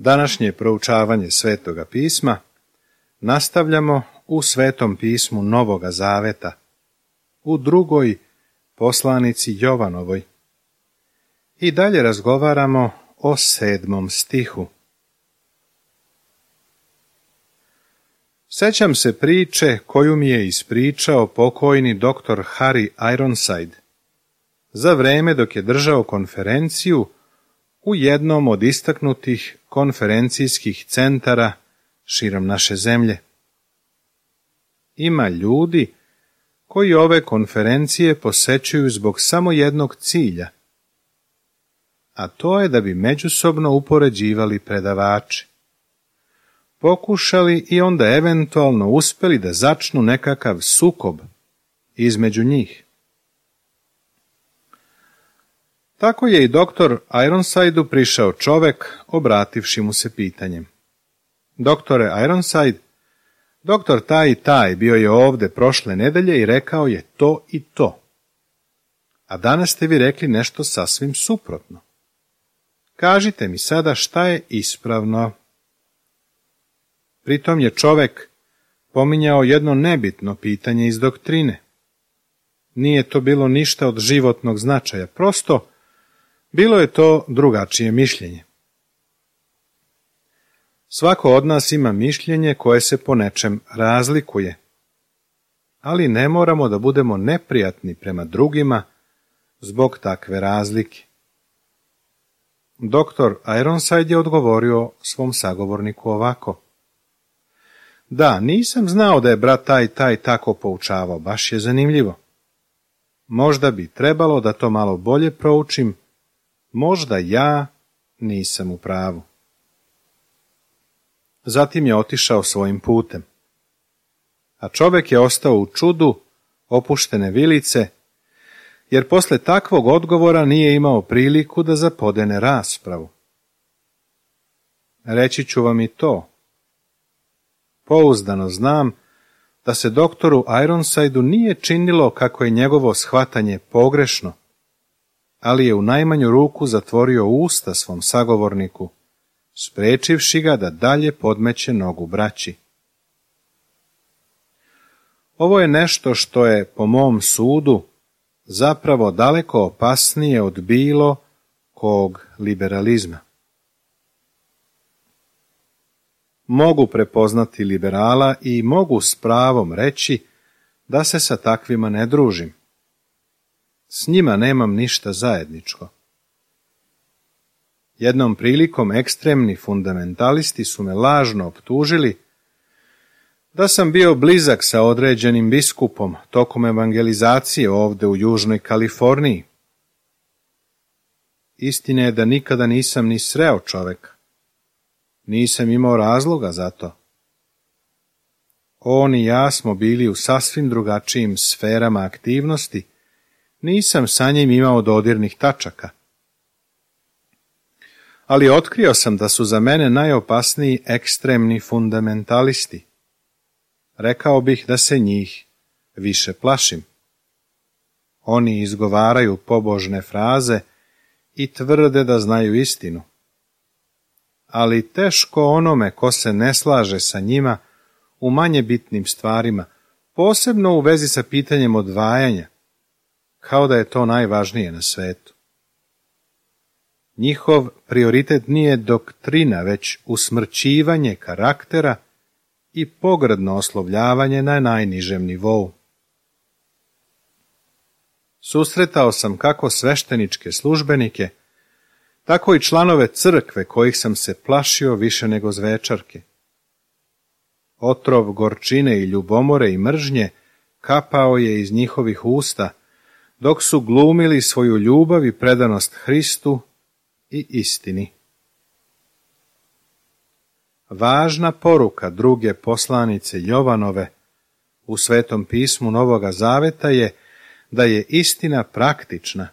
Današnje proučavanje Svetoga pisma nastavljamo u Svetom pismu Novoga Zaveta, u drugoj poslanici Jovanovoj. I dalje razgovaramo o 7. stihu. Sećam se priče koju mi je ispričao pokojni dr. Harry Ironside za vreme dok je držao konferenciju u jednom od istaknutih konferencijskih centara širom naše zemlje. Ima ljudi koji ove konferencije posećuju zbog samo jednog cilja, a to je da bi međusobno upoređivali predavače. Pokušali i onda eventualno uspeli da začnu nekakav sukob između njih. Tako je i doktor Ironsideu prišao čovek, obrativši mu se pitanjem. Doktore Ironside, doktor taj i taj bio je ovde prošle nedelje i rekao je to i to. A danas ste vi rekli nešto sasvim suprotno. Kažite mi sada šta je ispravno. Pritom je čovek pominjao jedno nebitno pitanje iz doktrine. Nije to bilo ništa od životnog značaja, prosto bilo je to drugačije mišljenje. Svako od nas ima mišljenje koje se po nečem razlikuje, ali ne moramo da budemo neprijatni prema drugima zbog takve razlike. Doktor Ironside je odgovorio svom sagovorniku ovako. Da, nisam znao da je brat taj tako poučavao, baš je zanimljivo. Možda bi trebalo da to malo bolje proučim, možda ja nisam u pravu. Zatim je otišao svojim putem. A čovek je ostao u čudu, opuštene vilice, jer posle takvog odgovora nije imao priliku da zapodene raspravu. Reći ću vam i to. Pouzdano znam da se doktoru Ironsideu nije činilo kako je njegovo shvatanje pogrešno, ali je u najmanju ruku zatvorio usta svom sagovorniku, sprečivši ga da dalje podmeće nogu braći. Ovo je nešto što je, po mom sudu, zapravo daleko opasnije od bilo kog liberalizma. Mogu prepoznati liberala i mogu s pravom reći da se sa takvima ne družim. S njima nemam ništa zajedničko. Jednom prilikom ekstremni fundamentalisti su me lažno optužili da sam bio blizak sa određenim biskupom tokom evangelizacije ovde u Južnoj Kaliforniji. Istina je da nikada nisam ni sreo čoveka. Nisam imao razloga za to. On i ja smo bili u sasvim drugačijim sferama aktivnosti, nisam sa njim imao dodirnih tačaka. Ali otkrio sam da su za mene najopasniji ekstremni fundamentalisti. Rekao bih da se njih više plašim. Oni izgovaraju pobožne fraze i tvrde da znaju istinu. Ali teško onome ko se ne slaže sa njima u manje bitnim stvarima, posebno u vezi sa pitanjem odvajanja, kao da je to najvažnije na svetu. Njihov prioritet nije doktrina, već usmrćivanje karaktera i pogrdno oslovljavanje na najnižem nivou. Susretao sam kako svešteničke službenike, tako i članove crkve kojih sam se plašio više nego zvečarke. Otrov gorčine i ljubomore i mržnje kapao je iz njihovih usta, dok su glumili svoju ljubav i predanost Hristu i istini. Važna poruka druge poslanice Jovanove u Svetom pismu Novoga Zaveta je da je istina praktična,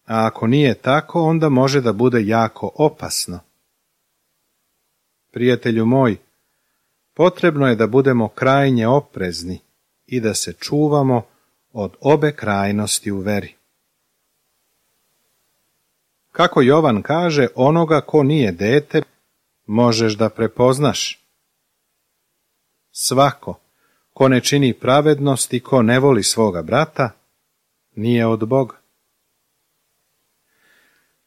a ako nije tako, onda može da bude jako opasno. Prijatelju moj, potrebno je da budemo krajnje oprezni i da se čuvamo od obe krajnosti u veri. Kako Jovan kaže, onoga ko nije dete, možeš da prepoznaš. Svako ko ne čini pravednost i ko ne voli svoga brata, nije od Boga.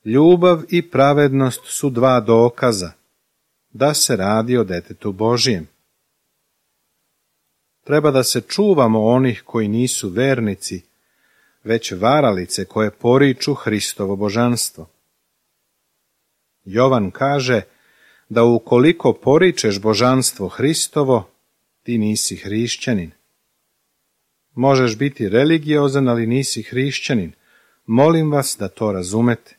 Ljubav i pravednost su dva dokaza da se radi o detetu Božijem. Treba da se čuvamo onih koji nisu vernici, već varalice koje poriču Hristovo božanstvo. Jovan kaže da ukoliko poričeš božanstvo Hristovo, ti nisi hrišćanin. Možeš biti religiozan, ali nisi hrišćanin. Molim vas da to razumete.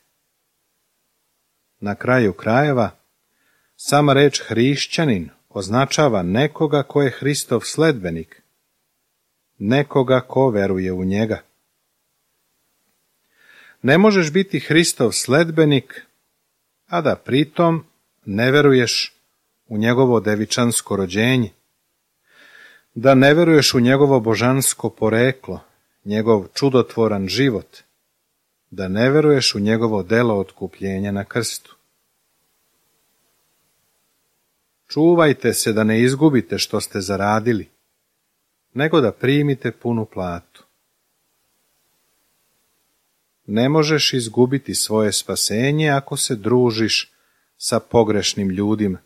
Na kraju krajeva, sama reč hrišćanin označava nekoga ko je Hristov sledbenik, nekoga ko veruje u njega. Ne možeš biti Hristov sledbenik, a da pritom ne veruješ u njegovo devičansko rođenje, da ne veruješ u njegovo božansko poreklo, njegov čudotvoran život, da ne veruješ u njegovo delo otkupljenja na krstu. Čuvajte se da ne izgubite što ste zaradili, nego da primite punu platu. Ne možeš izgubiti svoje spasenje ako se družiš sa pogrešnim ljudima.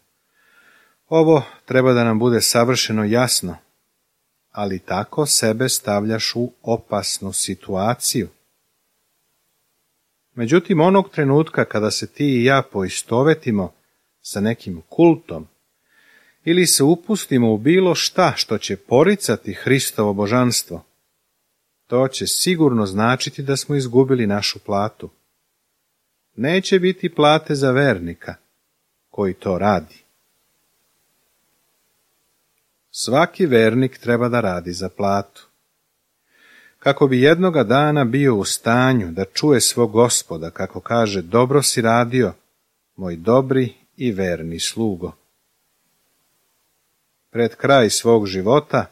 Ovo treba da nam bude savršeno jasno, ali tako sebe stavljaš u opasnu situaciju. Međutim, onog trenutka kada se ti i ja poistovetimo sa nekim kultom ili se upustimo u bilo šta što će poricati Hristovo božanstvo, to će sigurno značiti da smo izgubili našu platu. Neće biti plate za vernika koji to radi. Svaki vernik treba da radi za platu. Kako bi jednoga dana bio u stanju da čuje svog Gospoda, kako kaže, dobro si radio, moj dobri i verni slugo. Pred kraj svog života,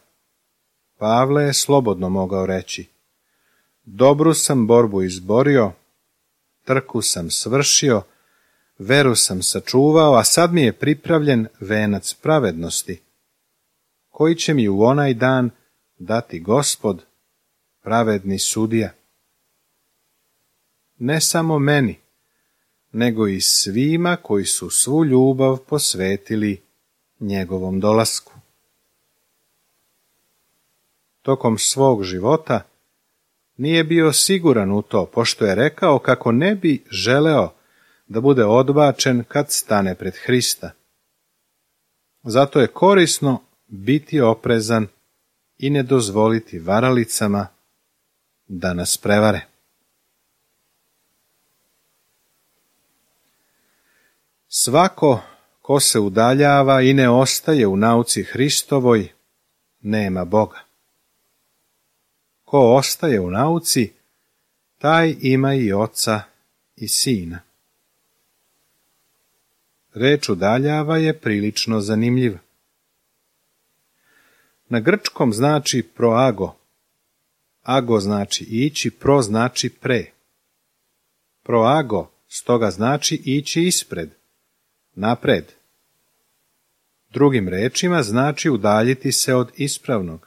Pavle je slobodno mogao reći: dobru sam borbu izborio, trku sam svršio, veru sam sačuvao, a sad mi je pripravljen venac pravednosti, koji će mi u onaj dan dati Gospod, pravedni sudija. Ne samo meni, nego i svima koji su svu ljubav posvetili njegovom dolasku. Tokom svog života nije bio siguran u to, pošto je rekao kako ne bi želeo da bude odbačen kad stane pred Hrista. Zato je korisno biti oprezan i ne dozvoliti varalicama da nas prevare. Svako ko se udaljava i ne ostaje u nauci Hristovoj, nema Boga. Ko ostaje u nauci, taj ima i oca i sina. Reč udaljava je prilično zanimljiva. Na grčkom znači proago. Ago znači ići, pro znači pre. Proago stoga znači ići ispred, napred. Drugim rečima znači udaljiti se od ispravnog.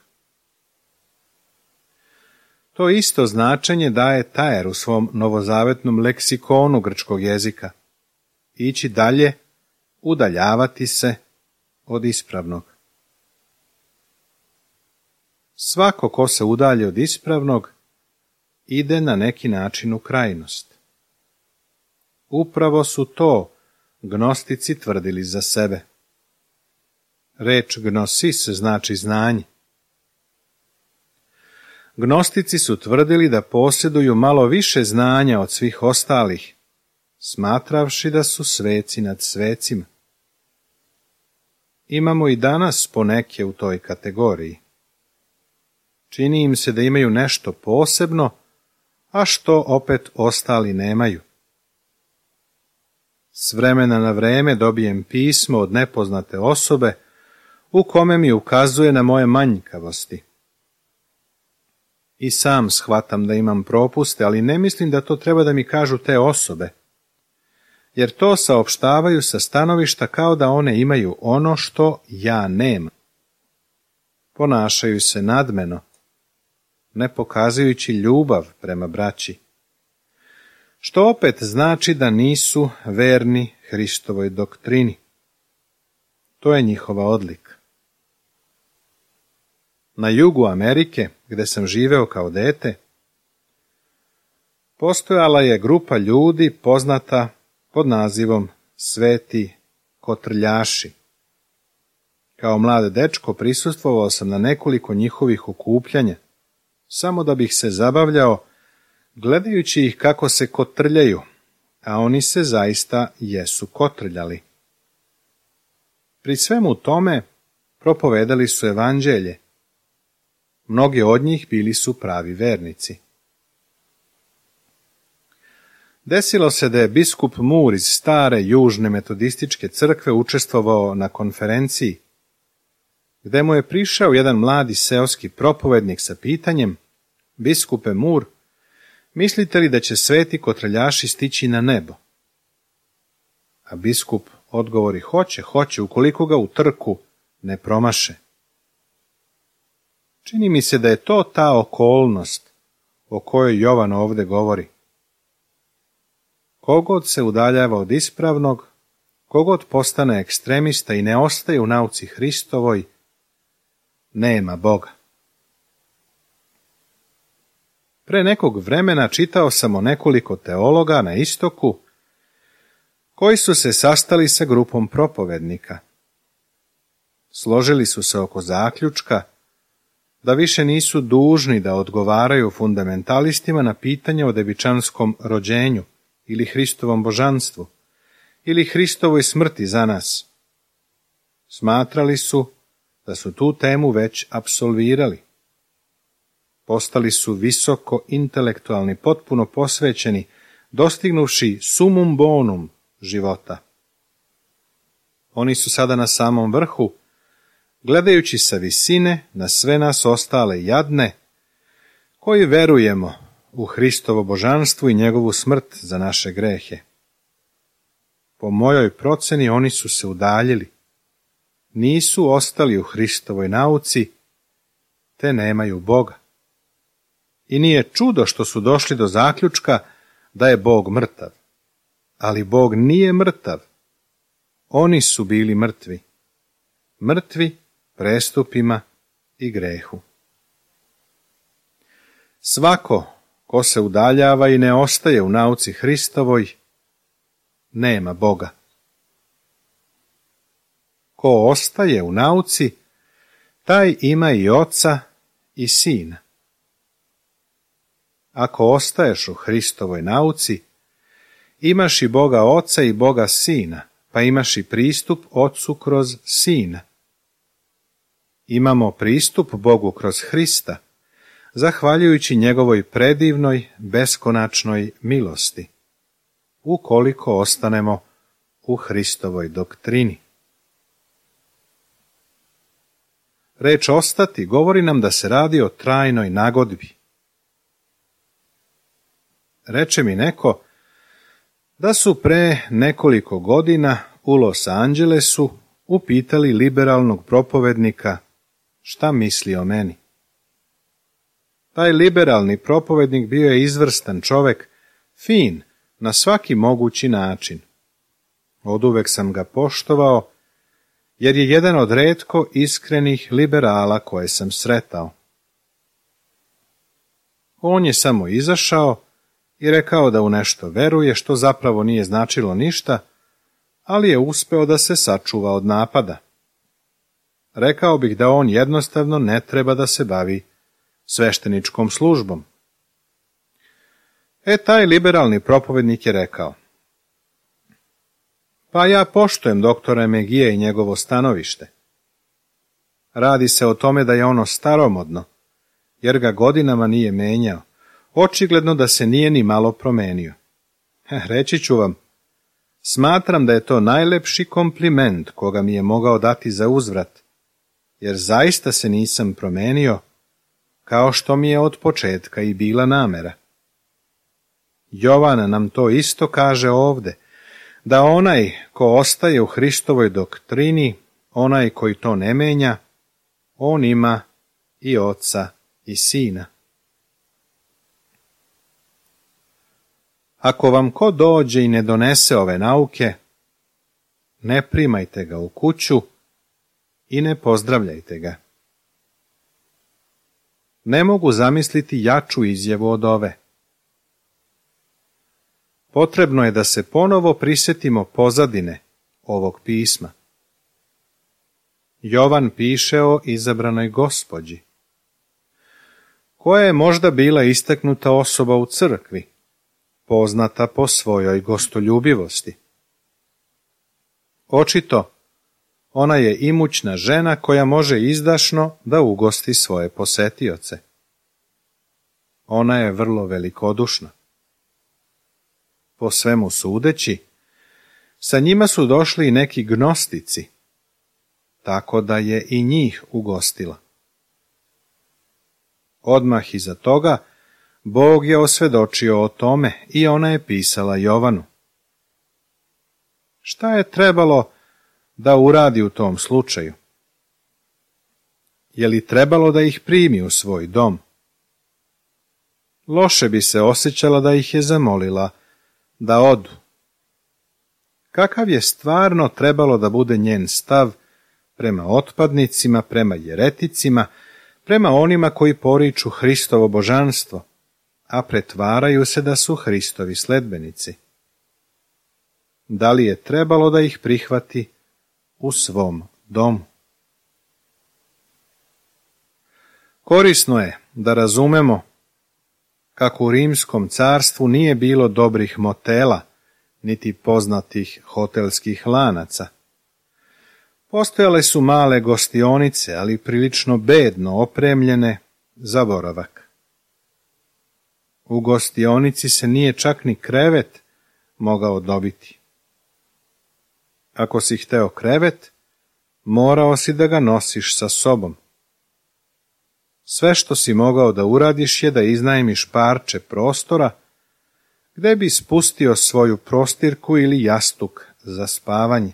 To isto značenje daje Tajer u svom novozavetnom leksikonu grčkog jezika. Ići dalje, udaljavati se od ispravnog. Svako ko se udalje od ispravnog, ide na neki način u krajnost. Upravo su to gnostici tvrdili za sebe. Reč gnosis znači znanje. Gnostici su tvrdili da posjeduju malo više znanja od svih ostalih, smatravši da su sveci nad svecima. Imamo i danas poneke u toj kategoriji. Čini im se da imaju nešto posebno, a što opet ostali nemaju. S vremena na vreme dobijem pismo od nepoznate osobe u kome mi ukazuje na moje manjkavosti. I sam shvatam da imam propuste, ali ne mislim da to treba da mi kažu te osobe. jer to saopštavaju sa stanovišta kao da one imaju ono što ja nemam. Ponašaju se nadmeno, ne pokazujući ljubav prema braći, što opet znači da nisu verni Hristovoj doktrini. To je njihova odlika. Na jugu Amerike, gde sam živeo kao dete, postojala je grupa ljudi poznata pod nazivom Sveti kotrljaši. Kao mlad dečko prisustvovao sam na nekoliko njihovih okupljanja, samo da bih se zabavljao gledajući ih kako se kotrljaju, a oni se zaista jesu kotrljali. Pri svemu tome propovedali su evanđelje. Mnogi od njih bili su pravi vernici. Desilo se da je biskup Moore iz stare južne metodističke crkve učestvovao na konferenciji, gde mu je prišao jedan mladi seoski propovednik sa pitanjem: biskupe Moore, mislite li da će sveti kotrljaši stići na nebo? A biskup odgovori: hoće, ukoliko ga u trku ne promaše. Čini mi se da je to ta okolnost o kojoj Jovan ovde govori. Kogod se udaljava od ispravnog, kogod postane ekstremista i ne ostaje u nauci Hristovoj, nema Boga. Pre nekog vremena čitao sam o nekoliko teologa na istoku koji su se sastali sa grupom propovednika. Složili su se oko zaključka da više nisu dužni da odgovaraju fundamentalistima na pitanje o devičanskom rođenju ili Hristovom božanstvu ili Hristovoj smrti za nas. Smatrali su da su tu temu već apsolvirali. Postali su visoko intelektualni, potpuno posvećeni, dostignuvši sumum bonum života. Oni su sada na samom vrhu, gledajući sa visine na sve nas ostale jadne, koji verujemo u Hristovo božanstvo i njegovu smrt za naše grehe. Po mojoj proceni oni su se udaljili, nisu ostali u Hristovoj nauci, te nemaju Boga. I nije čudo što su došli do zaključka da je Bog mrtav. Ali Bog nije mrtav. Oni su bili mrtvi. Mrtvi prestupima i grehu. Svako ko se udaljava i ne ostaje u nauci Hristovoj, nema Boga. Ko ostaje u nauci, taj ima i oca i sina. Ako ostaješ u Hristovoj nauci, imaš i Boga Oca i Boga Sina, pa imaš i pristup Ocu kroz Sina. Imamo pristup Bogu kroz Hrista, zahvaljujući njegovoj predivnoj, beskonačnoj milosti, ukoliko ostanemo u Hristovoj doktrini. Reč ostati govori nam da se radi o trajnoj nagodbi. Reče mi neko da su pre nekoliko godina u Los Angelesu upitali liberalnog propovednika šta misli o meni. Taj liberalni propovednik bio je izvrstan čovek, fin na svaki mogući način. Oduvek sam ga poštovao, jer je jedan od retko iskrenih liberala koje sam sretao. On je samo izašao i rekao da u nešto veruje, što zapravo nije značilo ništa, ali je uspeo da se sačuva od napada. Rekao bih da on jednostavno ne treba da se bavi svešteničkom službom. Taj liberalni propovednik je rekao: pa ja poštujem doktora Megije i njegovo stanovište. Radi se o tome da je ono staromodno, jer ga godinama nije menjao. Očigledno da se nije ni malo promenio. Reći ću vam, smatram da je to najlepši kompliment koga mi je mogao dati za uzvrat, jer zaista se nisam promenio, kao što mi je od početka i bila namera. Jovan nam to isto kaže ovde, da onaj ko ostaje u Hristovoj doktrini, onaj koji to ne menja, on ima i Oca i Sina. Ako vam ko dođe i ne donese ove nauke, ne primajte ga u kuću i ne pozdravljajte ga. Ne mogu zamisliti jaču izjavu od ove. Potrebno je da se ponovo prisjetimo pozadine ovog pisma. Jovan piše o izabranoj gospođi, koja je možda bila istaknuta osoba u crkvi, poznata po svojoj gostoljubivosti. Očito, ona je imućna žena koja može izdašno da ugosti svoje posetioce. Ona je vrlo velikodušna. Po svemu sudeći, sa njima su došli i neki gnostici, tako da je i njih ugostila. Odmah iza toga, Bog je osvjedočio o tome i ona je pisala Jovanu. Šta je trebalo da uradi u tom slučaju? Je li trebalo da ih primi u svoj dom? Loše bi se osjećala da ih je zamolila da odu. Kakav je stvarno trebalo da bude njen stav prema otpadnicima, prema jereticima, prema onima koji poriču Hristovo božanstvo, a pretvaraju se da su Hristovi sledbenici? Da li je trebalo da ih prihvati u svom domu? Korisno je da razumemo kako u Rimskom carstvu nije bilo dobrih motela, niti poznatih hotelskih lanaca. Postojale su male gostionice, ali prilično bedno opremljene za boravak. U gostionici se nije čak ni krevet mogao dobiti. Ako si hteo krevet, morao si da ga nosiš sa sobom. Sve što si mogao da uradiš je da iznajmiš parče prostora, gde bi spustio svoju prostirku ili jastuk za spavanje.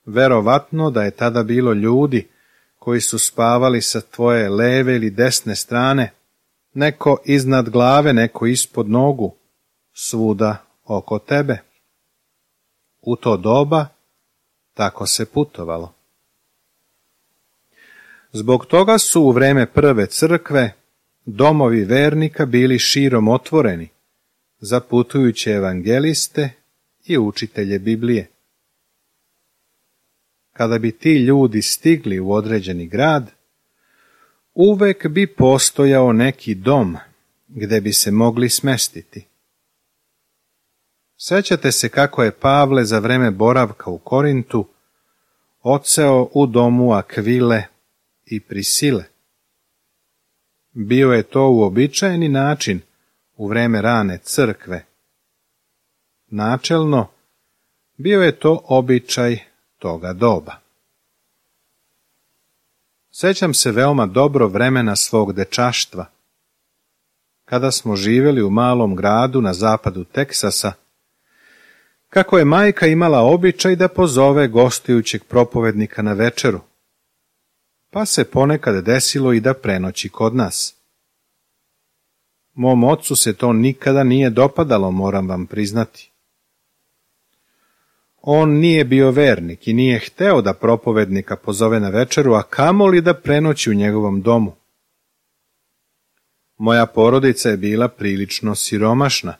Verovatno da je tada bilo ljudi koji su spavali sa tvoje leve ili desne strane, neko iznad glave, neko ispod nogu, svuda oko tebe. U to doba tako se putovalo. Zbog toga su u vreme prve crkve domovi vernika bili širom otvoreni za putujuće evangeliste i učitelje Biblije. Kada bi ti ljudi stigli u određeni grad, uvek bi postojao neki dom gde bi se mogli smestiti. Sećate se kako je Pavle za vreme boravka u Korintu odseo u domu Akvile i Prisile. Bio je to uobičajeni način u vreme rane crkve. Načelno, bio je to običaj toga doba. Sećam se veoma dobro vremena svog dečaštva, kada smo živjeli u malom gradu na zapadu Teksasa, kako je majka imala običaj da pozove gostujućeg propovednika na večeru, pa se ponekad desilo i da prenoći kod nas. Mom ocu se to nikada nije dopadalo, moram vam priznati. On nije bio vernik i nije hteo da propovednika pozove na večeru, a kamoli da prenoći u njegovom domu. Moja porodica je bila prilično siromašna,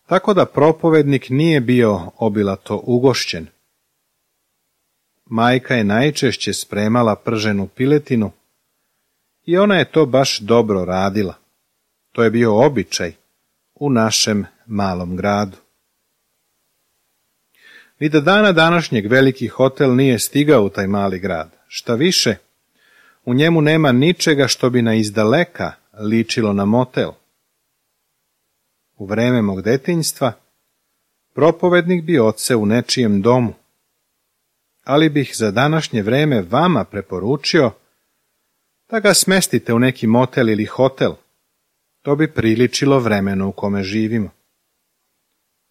tako da propovednik nije bio obilato ugošćen. Majka je najčešće spremala prženu piletinu i ona je to baš dobro radila. To je bio običaj u našem malom gradu. Ni do dana današnjeg veliki hotel nije stigao u taj mali grad. Šta više, u njemu nema ničega što bi na izdaleka ličilo na motel. U vreme mog detinjstva propovednik bi odseo u nečijem domu, ali bih za današnje vreme vama preporučio da ga smestite u neki motel ili hotel. To bi priličilo vremenu u kome živimo.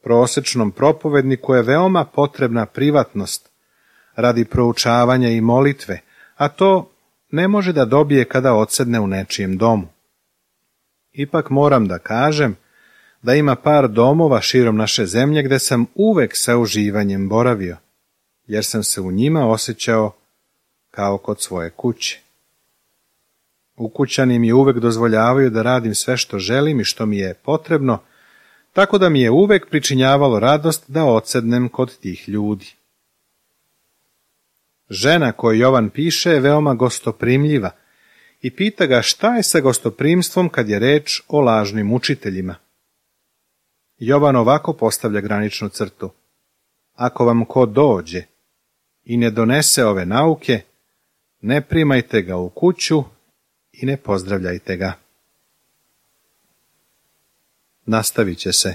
Prosečnom propovedniku je veoma potrebna privatnost radi proučavanja i molitve, a to ne može da dobije kada odsedne u nečijem domu. Ipak moram da kažem da ima par domova širom naše zemlje gde sam uvek sa uživanjem boravio, jer sam se u njima osjećao kao kod svoje kuće. Ukućani mi uvek dozvoljavaju da radim sve što želim i što mi je potrebno, tako da mi je uvek pričinjavalo radost da odsednem kod tih ljudi. Žena koju Jovan piše je veoma gostoprimljiva i pita ga šta je sa gostoprimstvom kad je reč o lažnim učiteljima. Jovan ovako postavlja graničnu crtu. Ako vam ko dođe i ne donese ove nauke, ne primajte ga u kuću i ne pozdravljajte ga. Nastavit će se.